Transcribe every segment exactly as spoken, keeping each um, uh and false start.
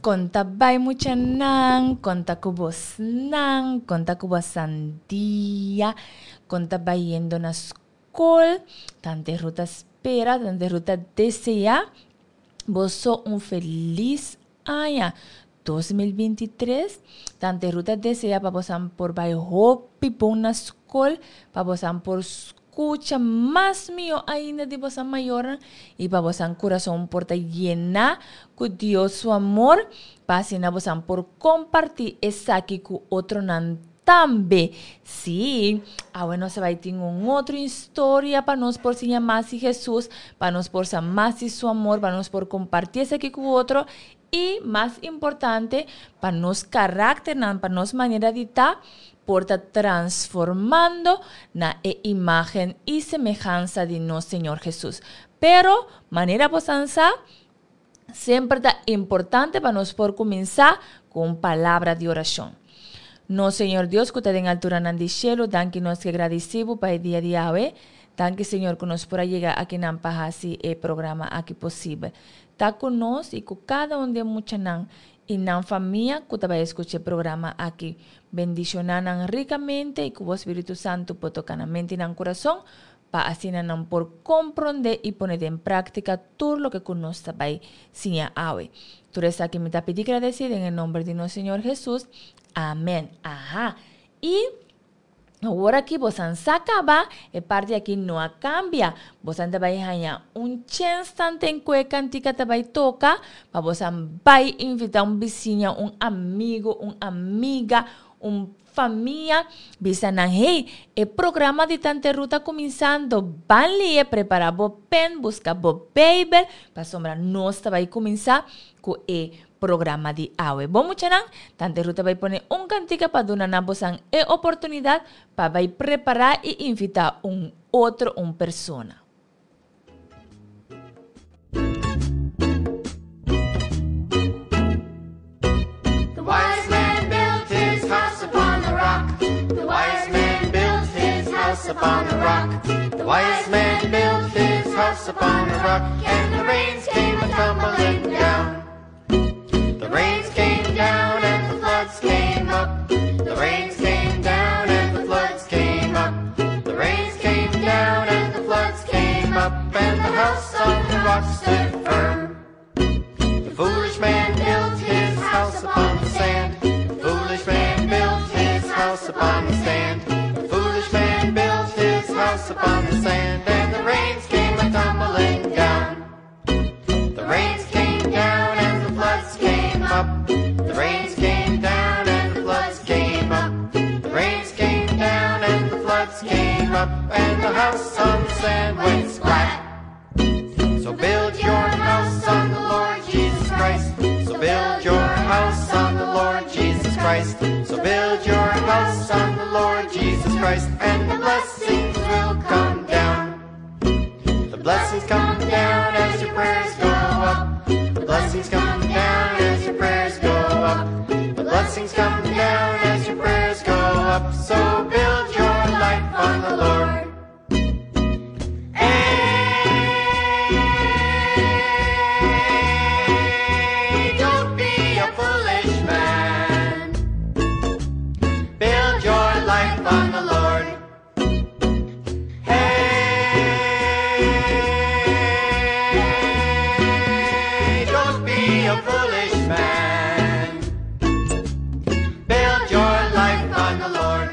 Kon ta bai muchanan, kon ta ku bosnan, kon ta ku bosan dia, kon ta bayendo na skol, Tante Ruth ta spera, Tante Ruth ta deseá boso un felis aña dos mil binti tres. Tante Ruth ta deseá pa bosan por bai hopi bon na skol, pa bosan por skucha mas mihó ainda di bosan mayornan i pa bosan kurason por ta yená ku Dios su amor, pa asina bosan por kompartí esaki ku otronan tambe. Sí, awe nos a bai tin un otro historia pa nos por siña mas di Hesus, pa nos por sa mas di su amor, pa nos por kompartí esaki ku otro i, mas importante, pa nos karakternan, pa nos manera di ta, por ta transformando na e imagen i semehansa di nos Señor Hesus. Pero, manera bosan sa, semper ta importante pa nos por kuminsá ku un palabra di orashon. Nos Señor Dios ku ta den alturanan di shelu, danki nos ke gradisí bo pa e dia di awe. Danki Señor ku nos por a yega akinan pa hasi e programa aki posibel. Ta ku nos i ku kada un di e muchanan i nan famia ku ta bai eskucha e programa aki. Bendishoná nan rikamente i ku bo Spiritu Santu por toka nan mente i nan kurason pa asina nan por komprondé i pone den práktika tur loke ku nos ta bai siña awe. Tur esaki mi ta pidi gradesí den e nomber di nos Señor Hesus. Amèn. Aha. I awor aki bosan sa kaba, e parti aki no a kambia. Bosan ta bai haña un chèns tanten ku e kantika ta bai toka pa bosan bai invitá un bisiña, un amigu, un amiga, un famia. Bisa nan, hey, e programa di Tante Ruth ta kuminsando. Ban lie, prepará bo pen, buska bo Beibel, pasobra nos ta bai kuminsá ku e programa di awe. Bon muchanan, Tante Ruth ta bai pone un kantika pa duna na bosan e oportunidat pa bai prepará i invitá un otro un persona. The wise man built his house upon the rock. The wise man built his house upon the rock. The wise man built his house upon the rock, and the rains came a-tumbling down. The rains came down and the floods came up. The rains came down and the floods came up. The rains came down and the floods came up, and the house on the rock stood firm. The foolish man built his house upon the sand. The foolish man built his house upon the sand. The foolish man built his house upon the sand, and the rains came a-tumbling down. The rains came down and the floods came up. The rains came down and the floods came up. The rains came down and the floods came up, and the house on the sand went splat. So build your house on the Lord Jesus Christ. So build your house on the Lord Jesus Christ. So build your house on the Lord Jesus Christ, and the blessings will come down. The blessings come down as your prayers go up. The blessings come down as your prayers go up. The blessings come down as your prayers go up. So build your life on the Lord. Hey, don't be a foolish man. Build your life on the Lord. Hey, don't be a foolish man. Build your life on the Lord.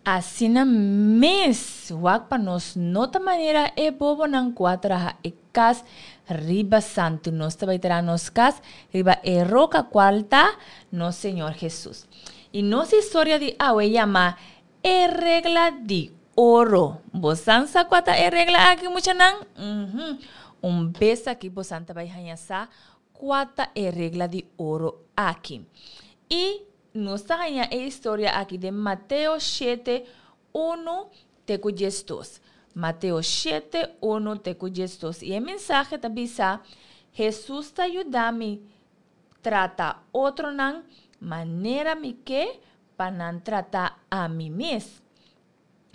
Asina mes, wak pa nos no ta manera e bobonan ku a traha e kas riba santu. Nos ta bai traha nos kas riba e roka kual ta nos Señor Hesus. I nos historia di awe yama E Regla di Oro. Bosan sa kua ta e regla aki, muchanan? Uhum. Un bes aki bosan ta bai haña sa kua ta e regla di oro aki. I nos ta haña e historia aki den Mateo shete, unu te ku diesdos. Mateo shete, unu te ku diesdos. I e mensahe ta bisa, Hesus ta yuda mi trata otronan manera mi ke pa nan trata ami mes.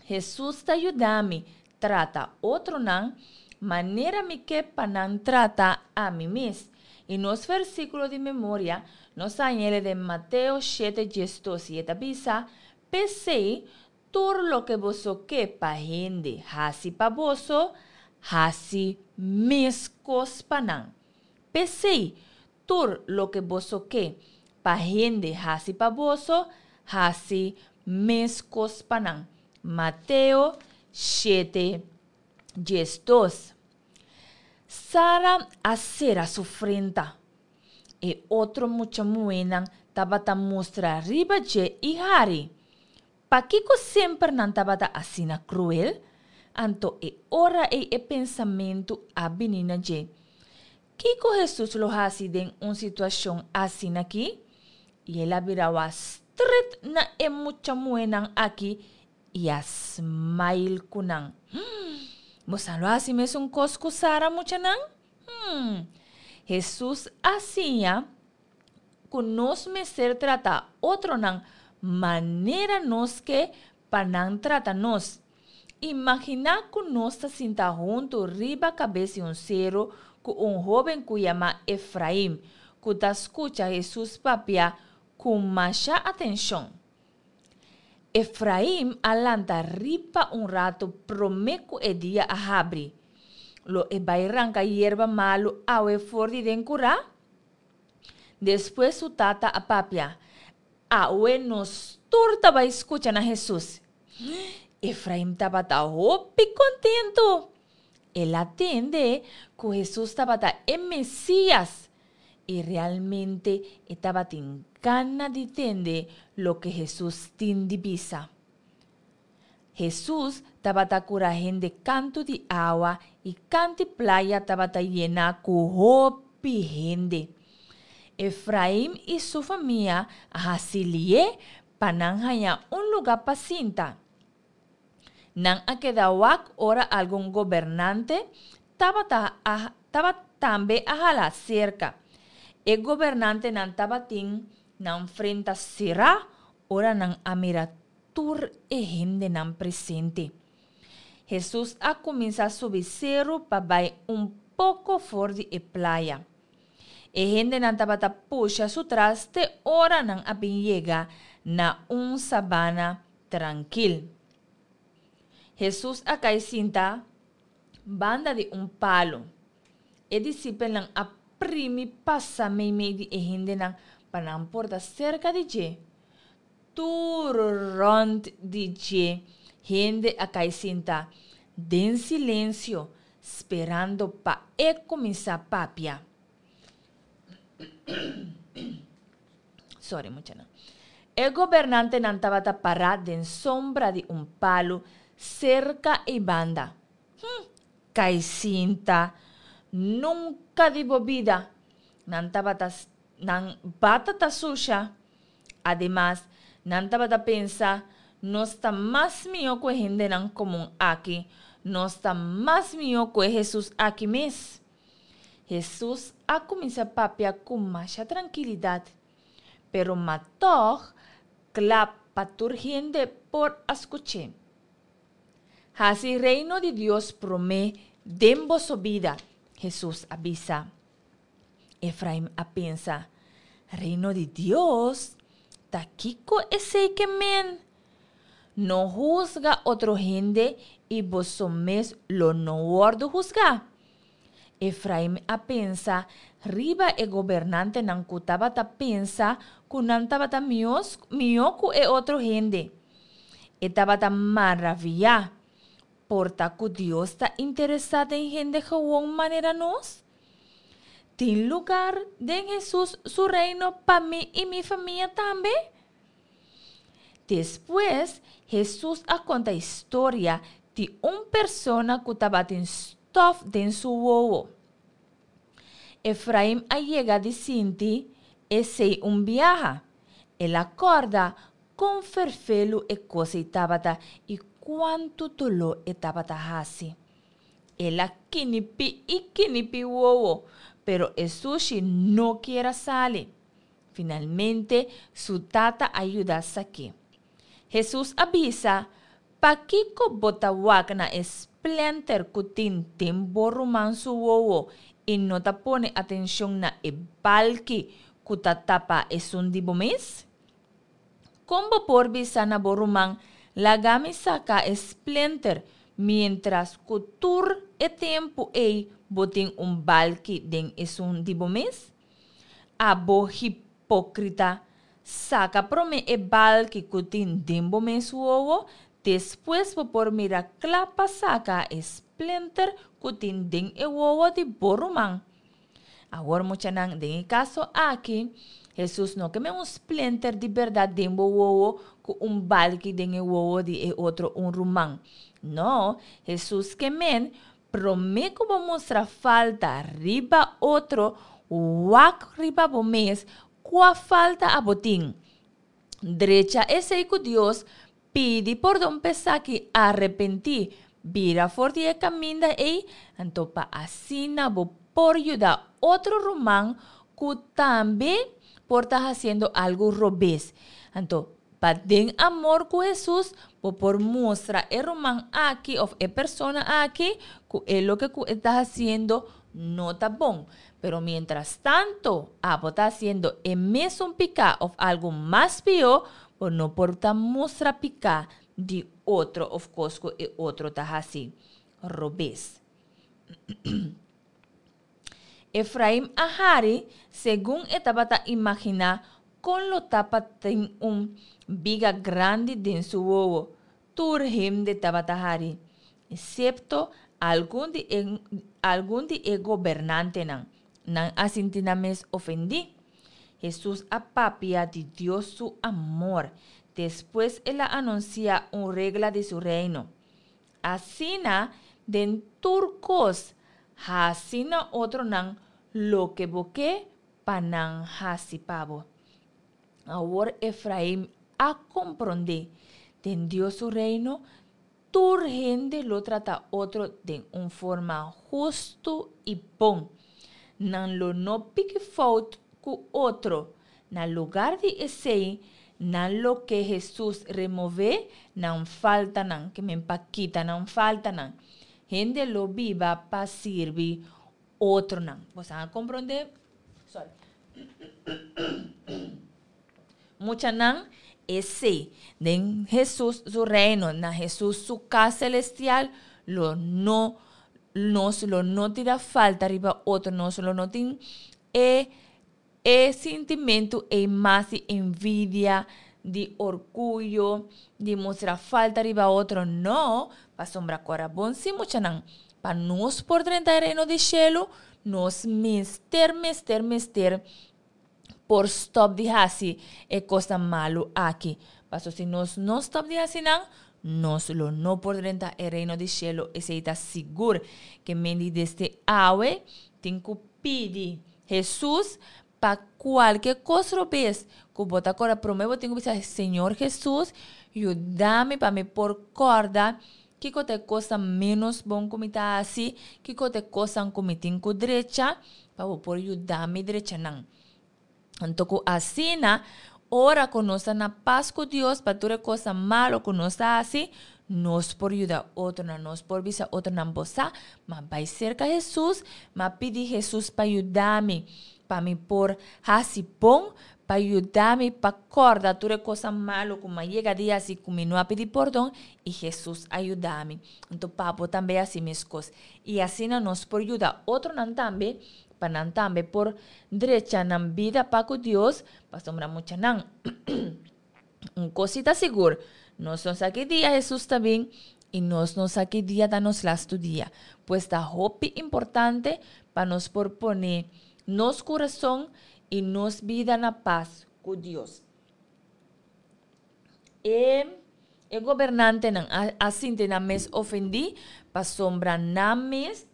Hesus ta yuda mi trata otronan manera mi ke pa nan trata ami mes. I nos versíkulo di memoria, nos ta hañ'é den Mateo shete diesdos i e ta bisa, P'esei, tur loke boso ke pa hende hasi pa boso, hasi meskos pa nan. P'esei, tur loke boso ke pa hende hasi pa boso, hasi meskos pa nan. Mateo shete diesdos. Sara a sera su frenta. E otro mucha muhénan tabata mustra riba dje i hari. Pakiko semper nan tabata asina kruel? Anto e ora ei e pensamentu a bini na dje, Kiko Hesus lo hasi den un situashon asin'akí? I el a bira wak stret na e mucha muhénan akí i a smail ku nan. Bosan lo hasi mesun kos ku Sara, muchanan? Hmm. Hesus a siña ku nos mester trata otronan manera nos ke pa nan trata nos. Imaginá ku nos ta sinta huntu riba kabes di un seru ku un hóben ku yama Efraim, ku ta skucha Hesus papia ku masha atenshon. Efraim a lanta riba un ratu promé ku e dia a habri. Lo e bai ranka yerba malu awe for di den kurá? Despues su tata a papia, Awe nos tur ta bai skucha na Hesus. Efraim tabata hopi kontentu! El a tende ku Hesus tabata e Mesías, i realmente e tabatin gana di tende loke Hesus tin di bisa. Hesus tabata kura hende kantu di awa i kant'i playa tabata yená ku hopi hende. Efraim i su famia a hasi lié pa nan haña un lugá pa sinta. Nan a keda wak ora algun gobernante tabata a tabata tambe a hala serka. E gobernantenan tabatin nan frenta será ora nan a mira tur e hendenan presente. Hesus a kuminsá subi seru pa bai un poko for di e playa. E hendenan tabata pusha su tras te ora nan a bin yega na un sabana trankil. Hesus a kai sinta banda di un palu. E disipelnan a primi pasa meimei di e hendenan pa nan por ta serka di dje. Tur rònt di dje hende a kai sinta den silensio, sperando pa e kuminsá papia. Sorry muchanan. E gobernantenan tabata pará den sombra di un palu serka ei banda. Hm, kai sinta! Nunka di bo bida! Nan tabata nan bata ta susha. Ademas, nan tabata pensa, Nos ta mas mihó ku e hendenan komun aki, nos ta mas mihó ku e Hesus aki mes! Hesus a kuminsá papia ku masha trankilidat, pero ma tòg kla pa tur hende por a skuch'é. Hasi Reino di Dios promé den boso bida, Hesus a bisa. Efraim a pensa, Reino di Dios? Ta kiko esei ke men? No husga otro hende i boso mes lo no wòrdu husgá. Efraim a pensa riba e gobernantenan ku tabata pensa ku nan tabata mihó ku e otro hende. E tabata maraviyá. Por ta ku Dios ta interesá den hende gewon manera nos? Tin lugar den Hesus su Reino pa mi i mi famia tambe? Despues, Hesus a konta historia di un persona ku tabatin stòf den su wowo. Efraim a yega di sinti esei un biaha. El a kòrda kon ferfelu e kos ei tabata i kuantu doló e tabata hasi. El a kinipí i kinipí wowo, pero e sushi no kier a sali. Finalmente, su tata a yuda sak'é. Hesus a bisa, Pakiko bo ta wak na e splenter ku tin den bo ruman su wowo i no ta pone atenshon na e balki ku ta tapa esun di bo mes? Kon bo por bisa na bo ruman, Laga mi saka e splenter, miéntras ku tur e tempu ei bo tin un balki den esun di bo mes? Abo hipókrita, saka promé e balki ku tin den bo mes wowo, despues bo por mira kla pa saka e splenter ku tin den e wowo di bo ruman. Awor muchanan, den e kaso aki, Hesus no ke men un splenter di bèrdat den bo wowo ku un balki den e wowo di e otro un ruman. No, Hesus ke men, promé ku bo mustra falta riba otro, wak riba bo mes kua falta abo tin. Drecha esei ku Dios, pidi pordon p'esaki, arepentí, bira for di e kaminda ei, anto pa asina bo por yuda otro ruman ku tambe por ta hasiendo algu robes. Anto, pa den amor ku Hesus, bo por mustra e ruman aki òf e persona aki ku e loke ku e ta hasiendo no ta bon. Pero mientras tanto, abo ta hasiendo e mesun piká òf algu mas pió, bo no por ta mustra piká di otro òf kos ku e otro ta hasi robes. Efraim a hari segun e tabata imaginá kon lo ta pa tin un biga grandi den su wowo. Tur hende tabata hari, esepto algun di e algun di e gobernantenan. Nan a sinti nan mes ofendí. Hesus a papia di Dios su amor. Despues el a anunsiá un regla di su reino. Asina, den tur kos, hasi na otronan loke bo ke pa nan hasi pa bo. Awor Efraim a komprondé, den Dios su Reino, tur hende lo trata otro den un forma hustu i bon. Nan lo no piki fout ku otro. Na lugar di esei, nan lo ke Hesus remové nan faltanan, ke men pa kita nan faltanan. Hende lo biba pa sirbi otronan. Boso a komprondé? Sorry. Muchanan, esei, den Hesus su reino, na Hesus su kas selestial, lo no, nos lo no tira falta riba otro, nos lo no tin e e sintimentu ei mas di envidia, di orguyo, di mustra falta riba otro, no, pasobra kora bon si muchanan, pa nos por drenta e reino di shelu, nos mester, mester, mester por stòp di hasi e kosnan malu aki. Paso si nos no stòp di hasi nan, nos lo no por drenta e reino di shelu, esei ta sigur. Ke men di desde awe tin ku pidi Hesus pa kualke kos robes ku bo ta kòrda, promé bo tin ku bisa, Señor Hesus, yuda mi pa mi por kòrda kiko ta e kosnan ménos bon ku mi ta hasi, kiko ta e kosnan ku mi tin ku drecha, pa bo por yuda mi drecha nan. Anto ku asina, ora ku nos ta na pas ku Dios pa tur e kosnan malo ku nos ta hasi, nos por yuda otronan, nos por bisa otronan, Bo sa, m'a bai serka Hesus, m'a pidi Hesus pa yuda mi, pa mi por hasi bon, pa yuda mi pa kòrda tur e kosnan malo ku m'a yega di hasi ku mi no a pidi pordon, i Hesus a yuda mi. Anto pa bo tambe hasi meskos. I asina nos por yuda otronan tambe, pa nan tambe por drecha nan bida pa ku Dios, pasobra muchanan, un kos si ta sigur, nos no sa ki dia Hesus ta bin i nos no sa ki dia ta nos lastu dia. Pues ta hopi importante pa nos por pone nos kurason i nos bida na pas ku Dios. E e gobernantenan a a sinti nan mes ofendí pasobra nan mes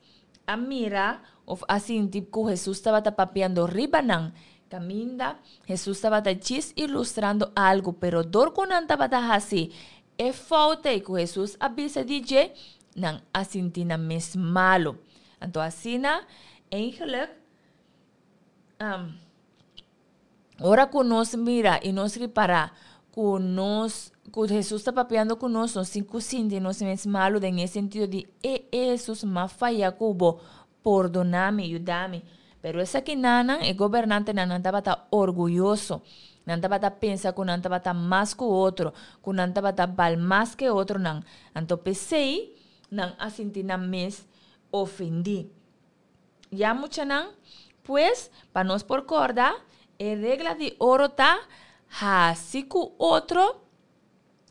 a mira òf a sinti ku Hesus tabata papiando riba nan. Kaminda Hesus tabata djis ilustrando algu, pero dor ku nan tabata hasi e fout ei ku Hesus a bisa di dje, nan a sinti nan mes malu. Anto asina, eigenlijk, ora ku nos mira i nos ripará ku nos, ku Hesus ta papiando ku nos, nos tin ku sinti nos mes malu den e sentido di e Hesus m'a faya ku bo, pordoná mi, yuda mi. Pero esakinan, e gobernantenan, nan tabata orguyoso. Nan tabata pensa ku nan tabata mas ku otro, ku nan tabata bal mas ku otronan. Anto p'esei nan a sinti nan mes ofendí. Ya muchanan, pues pa nos por kòrda, e regla di oro ta hasi ku otro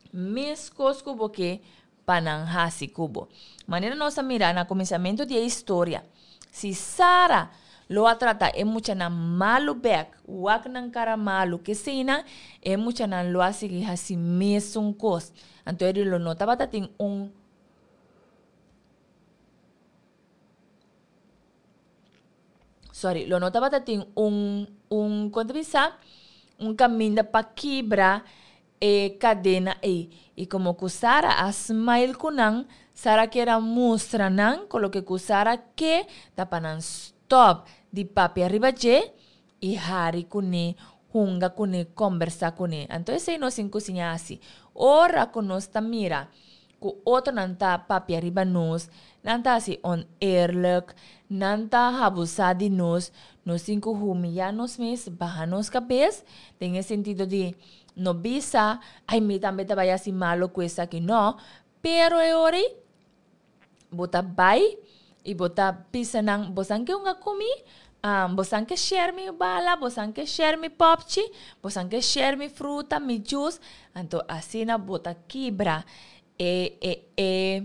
meskos ku bo ke pa nan hasi ku bo. Manera nos a mira na kuminsamentu di e historia, si Sara lo a trata e muchanan malu bèk, wak nan kara malu, keseinan, e muchanan lo a sigui hasi mesun kos. Anto eri lo no tabata tin un sorry, lo no tabata tin un un kon ta bisa? Un kaminda pa kibra e kadena ei. I komo ku Sara a smile ku nan, Sara kier a mustra nan ku loke ku Sara ke ta pa nan stòp di papia riba dje i hari kuné, hunga kuné, kòmbersá kuné. Anto esei nos tin ku siña hasi. Ora ku nos ta mira ku otronan ta papia riba nos, nan ta hasi oneerlijk, nan ta habusá di nos, nos tin ku humiyá nos mes, baha nos kabes, den e sentido di no bisa, ai mi tambe ta bai hasi malo ku esaki, no, pero e ora ei bo ta bai i bo ta bisa nan, bosan ke hunga ku mi? Bosan ke share mi bala, bosan ke share mi popchi, bosan ke share mi fruta, mi juice, anto asina bo ta kibra e e e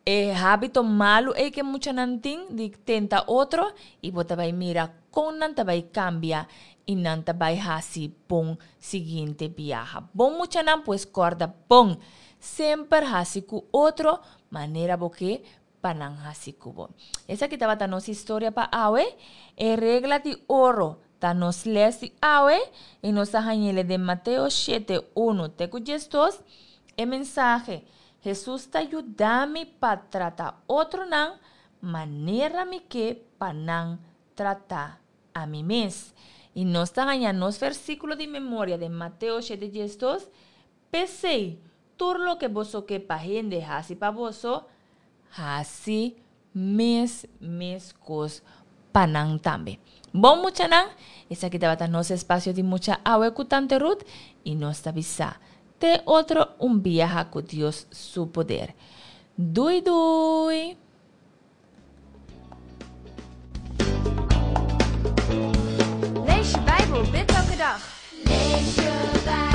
e habito malu ei ke muchanan tin di tenta otro i bo ta bai mira kon nan ta bai kambia i nan ta bai hasi bon siguiente biaha. Bon muchanan pues kòrda bon, semper hasi ku otro manera bo ke pa nan hasi ku bo. Esaki tabata nos historia pa awe. E regla di oro ta nos les di awe i nos a hañ'ele den Mateo shete, unu te ku diesdos. E mensahe, Hesus ta yuda mi pa trata otronan manera mi ke pa nan trata ami mes. I nos ta haña nos versíkulo di memoria den Mateo shete diesdos, P'esei, tur loke boso ke pa hende hasi pa boso, hasi mes meskos pa nan tambe. Bon muchanan, esaki tabata nos espasio di mucha awe ku Tante Ruth i nos ta bisa te otro un biaha ku Dios su poder. Dui dui! Lees je Bijbel, bid elke dag. Lees je Bijbel.